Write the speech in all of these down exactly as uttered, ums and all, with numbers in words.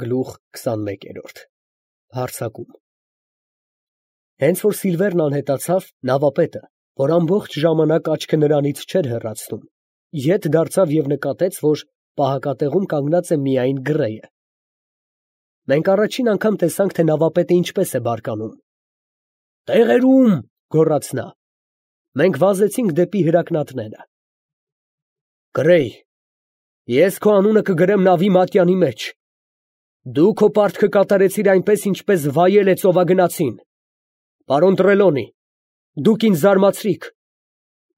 Գլուխ քսանմեկերորդ Հարձակում Հենց որ Սիլվերն անհետացավ, նավապետը, որ ամբողջ ժամանակ աչքը նրանից չէր հեռացնում, ետ դարձավ և նկատեց, որ պահակատեղում կանգնած է միայն Գրեյը։ Մենք առաջին անգամ տեսանք, թե նավապետը ինչպես է բարկանում։ «Տեղերում», գոռաց նա։ Մենք վազեցինք դեպի հրակնատները։ «Գրեյ, ես քո անունը կգրեմ նավի մատյանի մեջ։ Դու քո պարտքը կատարեցիր այնպես, ինչպես վայել է ծովագնացին։ Պարոն Տրելոնի, դուք ինձ զարմացրիք։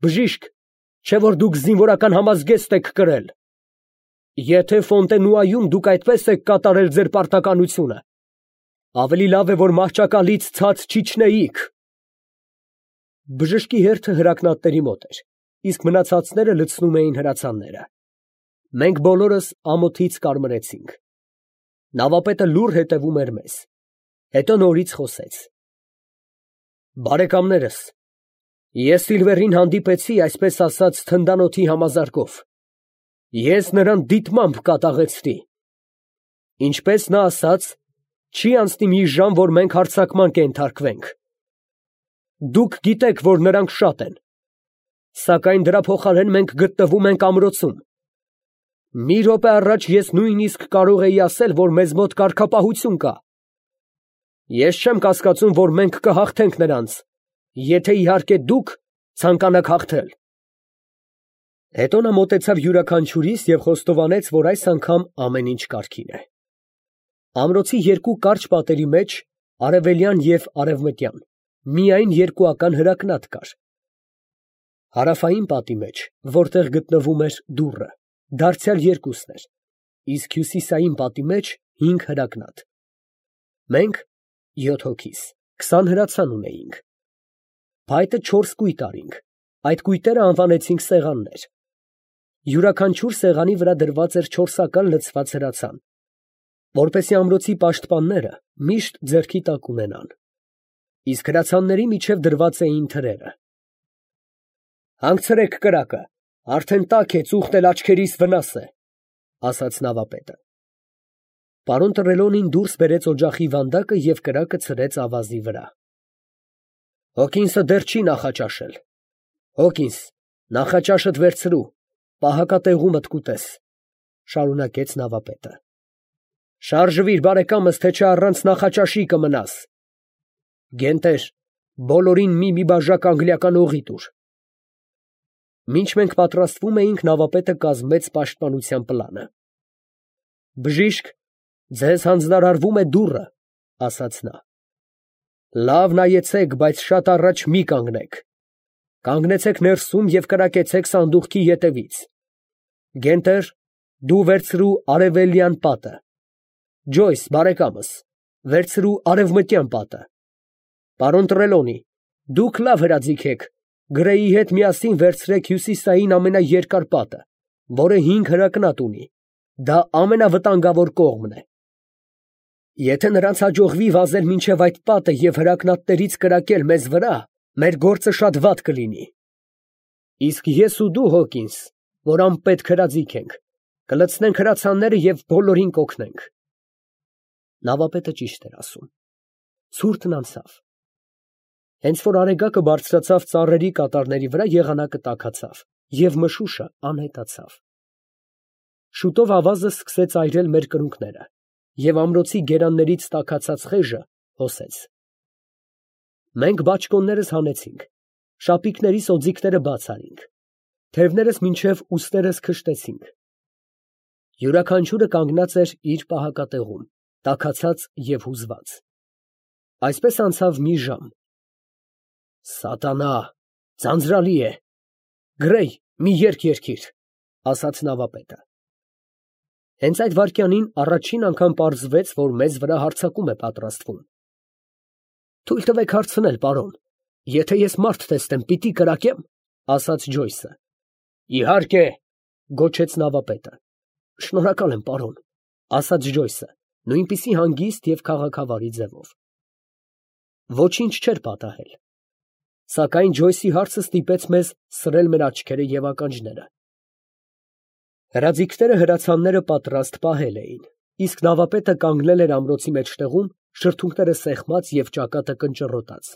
Բժիշկ, չէ՞ որ դուք զինվորական համազգեստ եք կրել։ Եթե Ֆոնտենուայում դուք այդպես եք կատարել ձեր պարտականությունը, ավելի լավ է, որ մահճակալից ցած չիջնեիք»։ Բժշկի հերթը հրակնատների մոտ էր, իսկ մնացածները լցնում էին հրացանները։ Մենք բոլորս ամոթից կարմրեցինք։ Նավապետը լուռ հետևում էր մեզ, հետո նորից խոսեց. «Բարեկամներս, ես Սիլվերին հանդիպեցի, այսպես ասած, թնդանոթի համազարկով։ Ես նրան դիտմամբ կատաղեցրի։ Ինչպես նա ասաց, չի անցնի մի ժամ, որ մենք հարձակման կենթարկվենք։ Դուք գիտեք, որ նրանք շատ են, սակայն դրա փոխարեն մենք գտնվում ենք ամրոցում։ Մի րոպե առաջ ես նույնիսկ կարող էի ասել, որ մեզ մոտ կարգապահություն կա։ Ես չեմ կասկածում, որ մենք կհաղթենք նրանց, եթե իհարկե դուք ցանկանաք հաղթել»։ Հետո նա մոտեցավ յուրաքանչյուրիս և խոստովանեց, որ այս անգամ ամեն ինչ կարգին է։ Ամրոցի երկու կարճ պատերի մեջ, արևելյան և արևմտյան, միայն երկուական հրակնատ կար։ Հարավային պատի մեջ, որտեղ գտնվում էր դուռը, դարձյալ երկուսն էր, իսկ հյուսիսային պատի մեջ հինգ հրակնատ։ Մենք յոթ հոգիս, քսան հրացան ունեինք։ Փայտը չորս կույտ արինք, այդ կույտերը անվանեցինք սեղաններ։ Յուրաքանչյուր սեղանի վրա դրված էր չորսական լցված հրացան, որպեսզի ամրոցի պաշտպանները միշտ ձեռքի տակ ունենան, իսկ հրացանների միջև դրված էին թրերը։ «Հանգցրեք կրակը, արդեն տաք է, ծուխտ էլ աչքերիս վնաս է», ֊ ասաց նավապետը։ Պարոն Տրելոնին դուրս բերեց օջախի վանդակը և կրակը ցրեց ավազի վրա։ «Հոկինսը դեռ չի նախաճաշել։ Հոկինս, նախաճաշդ վերցրու, պահակատեղումդ կուտես», ֊ շարունակեց նավապետը։ «Շարժվիր, բարեկամս, թե չէ առանց նախաճաշի կմնաս։ Գենտեր, բոլորին մի֊մի բաժակ անգլիական օղի տուր»։ Մինչ մենք պատրաստվում էինք, նավապետը կազմեց պաշտպանության պլանը։ «Բժիշկ, ձեզ հանձնարարվում է դուռը», ֊ ասաց նա։ «Լավ նայեցեք, բայց շատ առաջ մի կանգնեք։ Կանգնեցեք ներսում և կրակեցեք սանդուղքի ետևից։ Գենտեր, դու վերցրու արևելյան պատը։ Ջոյս, բարեկամս, վերցրու արևմտյան պատը։ Պարոն Տրելոնի, դուք լավ հրաձիգ եք, Գրեյի հետ միասին վերցրեք հյուսիսային ամենաերկար պատը, որը հինգ հրակնատ ունի, դա ամենավտանգավոր կողմն է։ Եթե նրանց հաջողվի վազել մինչև այդ պատը և հրակնատներից կրակել մեզ վրա, մեր գործը շատ վատ կլինի։ Իսկ ես ու դու, Հոկինս, որ անպետք հրաձիգ ենք, կլցնենք հրացանները և բոլորին կօգնենք։ Նավապետը ճիշտ էր ասում։ Ցուրտն անցավ։ Հենց որ արեգակը բարձրացավ ծառերի կատարների վրա, եղանակը տաքացավ, և մշուշը անհետացավ։ Շուտով ավազը սկսեց այրել մեր կրունկները, և ամրոցի գերաններից տաքացած խեժը հոսեց։ Մենք բաճկոններս հանեցինք, շապիկներիս օձիքները բաց արինք, թևներս մինչև ուստերս քշտեցինք։ Յուրաքանչյուրը կանգնած էր իր պահակատեղում, տաքացած և հուզված։ Այսպես անցավ մի ժամ։ «Սատանա, ձանձրալի է։ Գրեյ, մի երգ երգիր», ֊ ասաց նավապետը։ Հենց այդ վայրկյանին առաջին անգամ պարզվեց, որ մեզ վրա հարձակում է պատրաստվում։ «Թույլ տվեք հարցնել, պարոն, եթե ես մարդ տեսնեմ, պիտի կրակե՞մ», ֊ ասաց Ջոյսը։ «Իհարկե», ֊ գոչեց նավապետը։ «Շնորհակալ եմ, պարոն», ֊ ասաց Ջոյսը, նույնպիսի հանգիստ և քաղաքավարի ձևով։ Ոչինչ չէր պատահել։ Սակայն Ջոյսի հարցը ստիպեց մեզ սրել մեր աչքերը և ականջները։ Հրաձիգները հրացանները պատրաստ պահել էին, իսկ նավապետը կանգնել էր ամրոցի մեջտեղում, շրթունքները սեղմած և ճակատը կնճռոտած։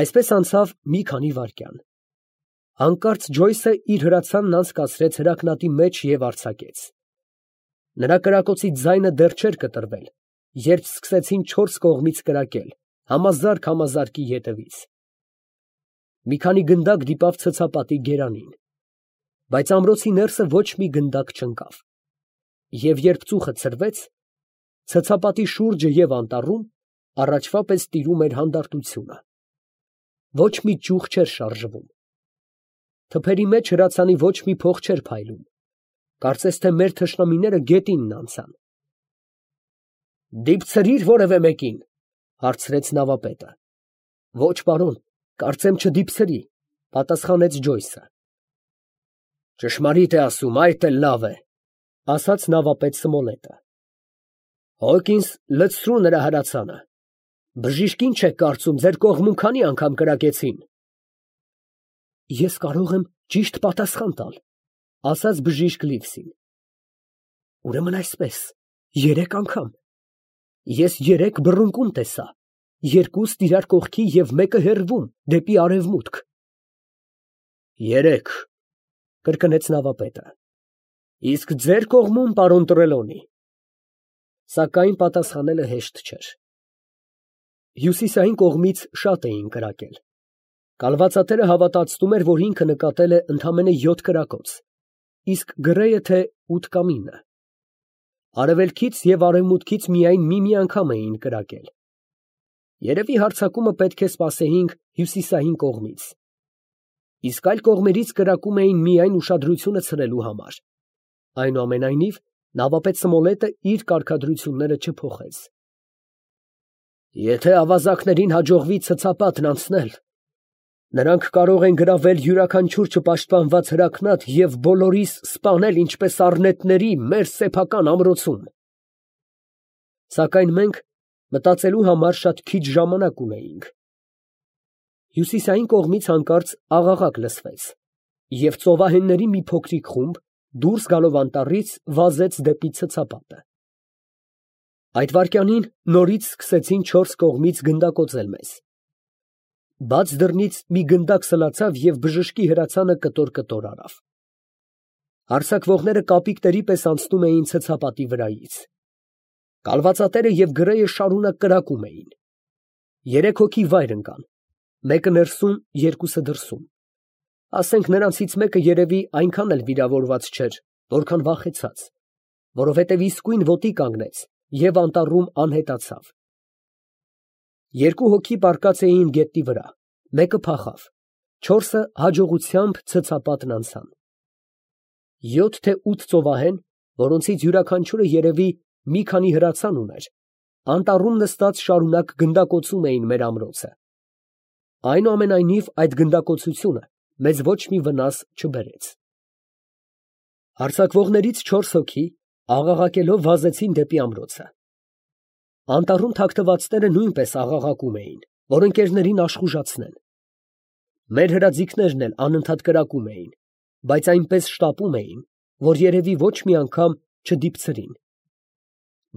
Այսպես անցավ մի քանի վայրկյան։ Հանկարծ Ջոյսը իր հրացանն անցկացրեց հրակնատի մեջ և արձակեց։ Նրա կրակոցի ձայնը դեռ չէր կտրվել, երբ սկսեցին չորս կողմից կրակել, համազարկ համազարկի ետևից։ Մի քանի գնդակ դիպավ ցցապատի գերանին, բայց ամրոցի ներսը ոչ մի գնդակ չընկավ, և երբ ծուխը ցրվեց, ցցապատի շուրջը և անտառում առաջվա պես տիրում էր հանդարտությունը։ Ոչ մի ճյուղ չէր շարժվում։ Թփերի մեջ հրացանի ոչ մի փող չէր փայլում, կարծես թե մեր թշնամիները գետինն անցան։ «Դիպցրի՞ր որևէ մեկին, ֊ հարցրեց նավապետը։ ֊ Ոչ, պարոն, կարծեմ չդիպցրի, ֊ պատասխանեց Ջոյսը։ ֊ Ճշմարիտ է ասում, այդ էլ լավ է, ֊ ասաց նավապետ Սմոլետը։ ֊ Հոկինս, լցրու նրա հրացանը։ Բժիշկ ինչ եք կարծում, ձեր կողմում քանի անգամ կրակեցին։ ֊ Ես կարող եմ ճիշտ պատասխան տալ, ֊ ասաց բժիշկ Լիվսին։ ֊ Ուրեմն այսպես, երեք անգամ. ես երեք բռունկում տեսա, երկուստ իրար կողքի և մեկը հեռվում, դեպի արևմուտք։ ֊ Երեք, ֊ կրկնեց նավապետը։ ֊ Իսկ ձեր կողմում, պարոն Տրելոնի։ Սակայն պատասխանելը հեշտ չէր։ Հյուսիսային կողմից շատ էին կրակել։ Կալվածատերը հավատացնում էր, որ ինքը նկատել է ընդամենը յոթ կրակոց, իսկ գրեը թե ութ կամ ինը։ Արևելքից և արևմուտքից միայն մի֊մի անգամ էին կրակել։ Երևի հարձակումը պետք է սպասեինք հյուսիսային կողմից, իսկ այլ կողմերից կրակում էին միայն ուշադրությունը ցրելու համար։ Այնուամենայնիվ, նավապետ Սմոլետը իր կարգադրությունները չփոխեց։ Եթե ավազակներին հաջողվի ցցապատն անցնել, նրանք կարող են գրավել յուրաքանչյուր չպաշտպանված հրակնատ և բոլորիս սպանել ինչպես առնետների մեր սեփական ամրոցում։ Սակայն մենք մտածելու համար շատ քիչ ժամանակ ունեինք։ Հյուսիսային կողմից հանկարծ աղաղակ լսվեց, և ծովահենների մի փոքրիկ խումբ, դուրս գալով անտառից, վազեց դեպի ցցապատը։ Այդ վայրկյանին նորից սկսեցին չորս կողմից գնդակոծել մեզ։ Բաց դռնից մի գնդակ սլացավ և բժշկի հրացանը կտոր֊կտոր արավ։ Հարձակվողները կապիկների պես անցնում էին ցցապատի վրայից։ Կալվածատերը և գրեը շարունակ կրակում էին։ Երեք հոգի վայր ընկան, մեկը ներսում, երկուսը դրսում։ Ասենք նրանցից մեկը երևի այնքան էլ վիրավորված չէր, որքան վախեցած, որովհետև իսկույն ոտի կանգնեց և անտառում անհետացավ։ Երկու հոգի պառկած էին գետնի վրա, մեկը փախավ, չորսը հաջողությամբ ցցապատն անցան։ Յոթ թե ութ ծովահեն, որոնցից յուրաքանչյուրը երևի մի քանի հրացան ուներ, անտառում նստած շարունակ գնդակոծում էին մեր ամրոցը։ Այնուամենայնիվ, այդ գնդակոծությունը մեզ ոչ մի վնաս չբերեց։ Հարձակվողներից չորս հոգի, աղաղակելով, վազեցին դեպի ամրոցը։ Անտառում թաքնվածները նույնպես աղաղակում էին, որ ընկերներին աշխուժացնեն։ Մեր հրաձիգներն էլ անընդհատ կրակում էին, բայց այնպես շտապում էին, որ երևի ոչ մի անգամ չդիպցրին։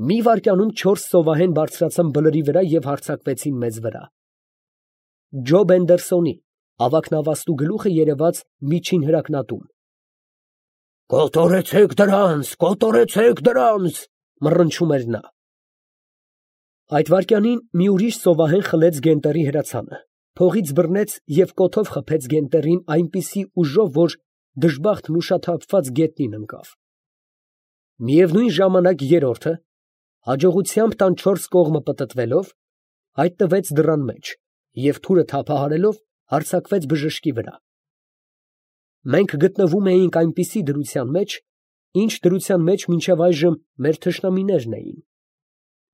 Մի վայրկյանում չորս ծովահեն բարձրացան բլրի վրա և հարձակվեցին մեզ վրա։ Ջոբ Էնդերսոնի ավագնավաստու գլուխը երևաց միջին հրակնատում։ «Կոտորեցեք դրանց, կոտորեցեք դրանց», մռնչում էր նա։ Այդ վայրկյանին մի ուրիշ ծովահեն խլեց գենտերի հրացանը, փողից բռնեց և կոթով խփեց գենտերին այնպիսի ուժով, որ դժբախտն ուշաթափված գետնին ընկավ։ Միևնույն ժամանակ երրորդը, հաջողությամբ տան չորս կողմը պտտվելով, հայտնվեց դռան մեջ և թուրը թափահարելով հարձակվեց բժշկի վրա։ Մենք գտնվում էինք այնպիսի դրության մեջ, ինչ դրության մեջ մինչև այժմ մեր թշնամիներն էին։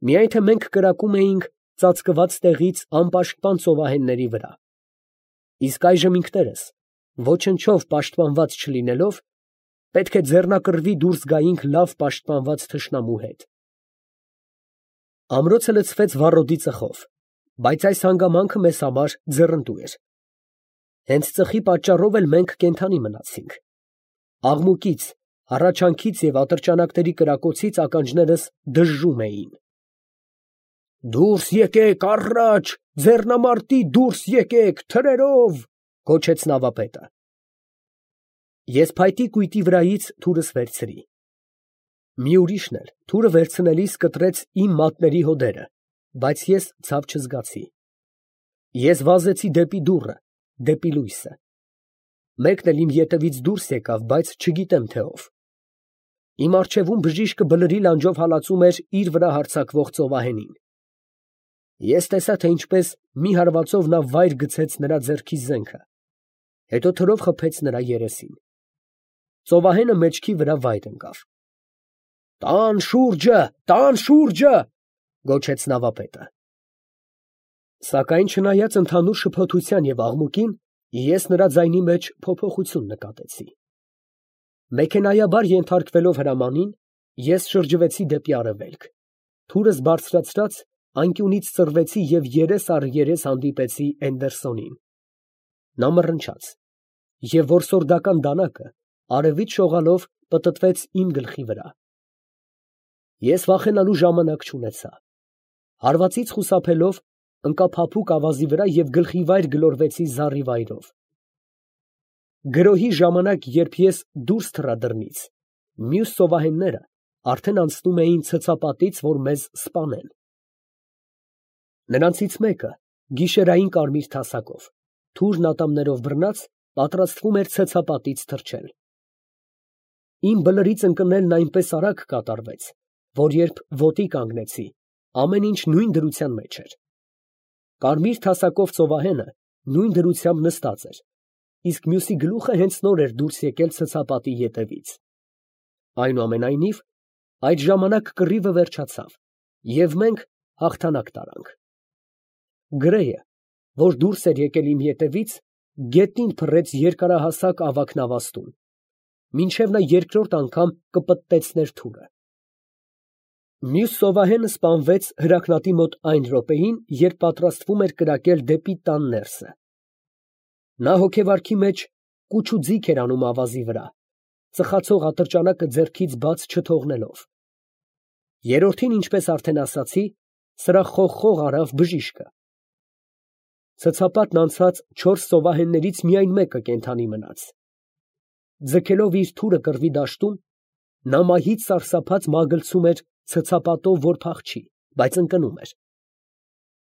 Միայն թե մենք կրակում էինք ծածկված տեղից անպաշտպան ծովահենների վրա, իսկ այժմ ինքներս, ոչնչով պաշտպանված չլինելով, պետք է ձեռնակռվի դուրս գայինք լավ պաշտպանված թշնամու հետ։ Ամրոցը լցվեց վառոդի ծխով, բայց այս հանգամանքը մեզ համար ձեռնտու էր։ Հենց ծխի պատճառով էլ մենք կենդանի մնացինք։ Աղմուկից, Հառաչանքից և ատրճանակների կրակոցից ականջներս դժժում էին։ «Դուրս եկեք, առաջ, ձեռնամարտի դուրս եկեք, թրերով», գոչեց նավապետը։ Ես փայտի կույտի վրայից թուրս վերցրի։ Մի ուրիշն էլ թուրը վերցնելիս կտրեց իմ մատների հոդերը, բայց ես ցավ չզգացի։ Ես վազեցի դեպի դուռը, դեպի լույսը։ Մեկն էլ իմ ետևից դուրս եկավ, բայց չգիտեմ թե ով։ Իմ առջևում բժիշկը բլրի լանջով հալածում էր իր վրա հարձակվող ծովահենին։ Ես տեսա, թե ինչպես մի հարվածով նա վայր գցեց նրա ձեռքի զենքը, հետո թրով խփեց նրա երեսին։ Ծովահենը մեջքի վրա վայր ընկավ։ «Տան շուրջը, տան շուրջը», գոչեց նավապետը։ Սակայն չնայած ընդհանուր շփոթության և աղմուկին, ես նրա ձայնի մեջ փոփոխություն նկատեցի։ Մեքենայաբար ենթարկվելով հրամանին, ես շրջվեցի դեպի արևելք, թուրս բարձրացրած անկյունից ծռվեցի և երես առ երես հանդիպեցի Էնդերսոնին։ Նա մռնչաց, և որսորդական դանակը արևից շողալով պտտվեց իմ գլխի վրա։ Ես վախենալու ժամանակ չունեցա։ Հարվածից խուսափելով ընկա փափուկ ավազի վրա և գլխիվայր գլորվեցի զառիվայրով։ Գրոհի ժամանակ, երբ ես դուրս թռա դռնից, մյուս ծովահենները արդեն անցնում էին ցցապատից, որ մեզ սպանեն։ Նրանցից մեկը, գիշերային կարմիր թասակով, թուրն ատամներով բռնած, պատրաստվում էր ցցապատից թռչել։ Իմ բլրից ընկնելն այնպես արագ կատարվեց, որ երբ ոտի կանգնեցի, ամեն ինչ նույն դրության մեջ էր։ Կարմիր թասակով ծովահենը նույն դրությամբ նստած էր, իսկ մյուսի գլուխը հենց նոր էր դուրս եկել ցցապատի ետևից։ Այնուամենայնիվ, այդ ժամանակ կռիվը վերջացավ, և մենք հաղթանակ տարանք։ Գրեյը, որ դուրս էր եկել իմ ետևից, գետնին փռեց երկարահասակ ավագ նավաստուն, մինչև նա երկրորդ անգամ կպտտեցներ թուրը։ Մյուս ծովահենը սպանվեց հրակնատի մոտ այն րոպեին, երբ պատրաստվում էր կրակել դեպի տան ներսը։ Նա հոգեվարքի մեջ կուչ ու ձիգ էր անում ավազի վրա, ծխացող ատրճանակը ձեռքից բաց չթողնելով։ Երրորդին, ինչպես արդեն ասացի, սրա խողխող արավ բժիշկը։ Ցցապատն անցած չորս ծովահեններից միայն մեկը կենդանի մնաց։ Ձգելով իր թուրը կռվի դաշտում, նա մահից սարսափած մագլցում էր ցցապատով, որ փախչի, բայց ընկնում էր։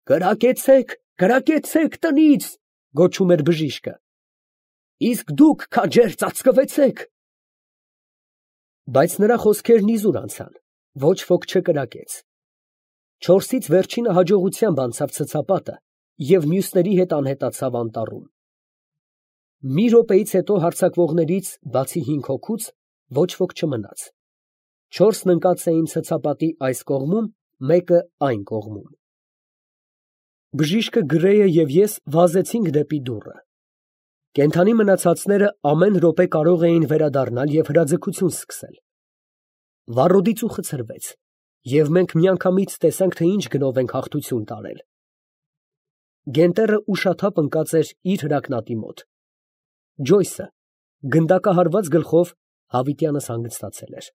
«Կրակեցեք, կրակեցեք տնից», գոչում էր բժիշկը։ «Իսկ դուք, քաջեր, ծածկվեցեք»։ Բայց նրա խոսքերն իզուր անցան, ոչ ոք չկրակեց։ Չորսից վերջինը հաջողությամբ անցավ ցցապատը և մյուսների հետ անհետացավ անտառում։ Մի րոպեից հետո հարձակվողներից, բացի հինգ հոգուց, ոչ ոք չմնաց։ Չորսն ընկած էին ցցապատի այս կողմում, մեկը այն կողմում։ Բժիշկը, Գրեյը և ես վազեցինք դեպի դուռը։ Կենդանի մնացածները ամեն րոպե կարող էին վերադառնալ և հրաձգություն սկսել։ Վառոդի ծուխը ցրվեց, և մենք միանգամից տեսանք, թե ինչ գնով ենք հաղթություն տարել։ Գենտերը ուշաթափ ընկած էր իր հրակնատի մոտ։ Ջոյսը գնդակահարված գլխով հավիտյանս հանգստացել էր։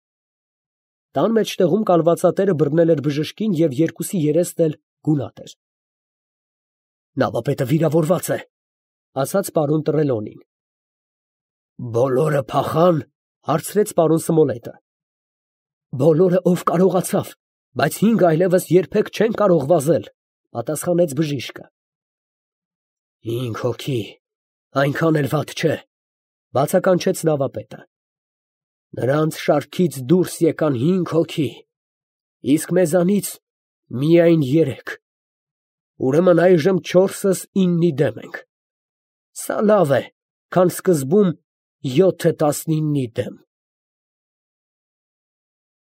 Տան մեջտեղում կալվածատերը բռնել էր բժշկին և երկուսի երեսն էլ գունատ էր։ «Նավապետը վիրավորված է», ֊ ասաց պարոն Տրելոնին։ «Բոլորը փախան», ֊ հարցրեց պարոն Սմոլետը։ «Բոլորը, ով կարողացավ, բայց հինգ այլևս երբեք չեն կարող վազել», ֊ պատասխանեց բժիշկը։ «Հինգ հոգի, այնքան էլ վատ չէ», ֊ բացականչեց նավապետը։ «Նրանց շարքից դուրս եկան հինգ հոգի, իսկ մեզանից միայն երեք, ուրեմն այժմ չորսս իննի դեմ ենք։ Սա լավ է, քան սկզբում յոթը տասնիննի դեմ»։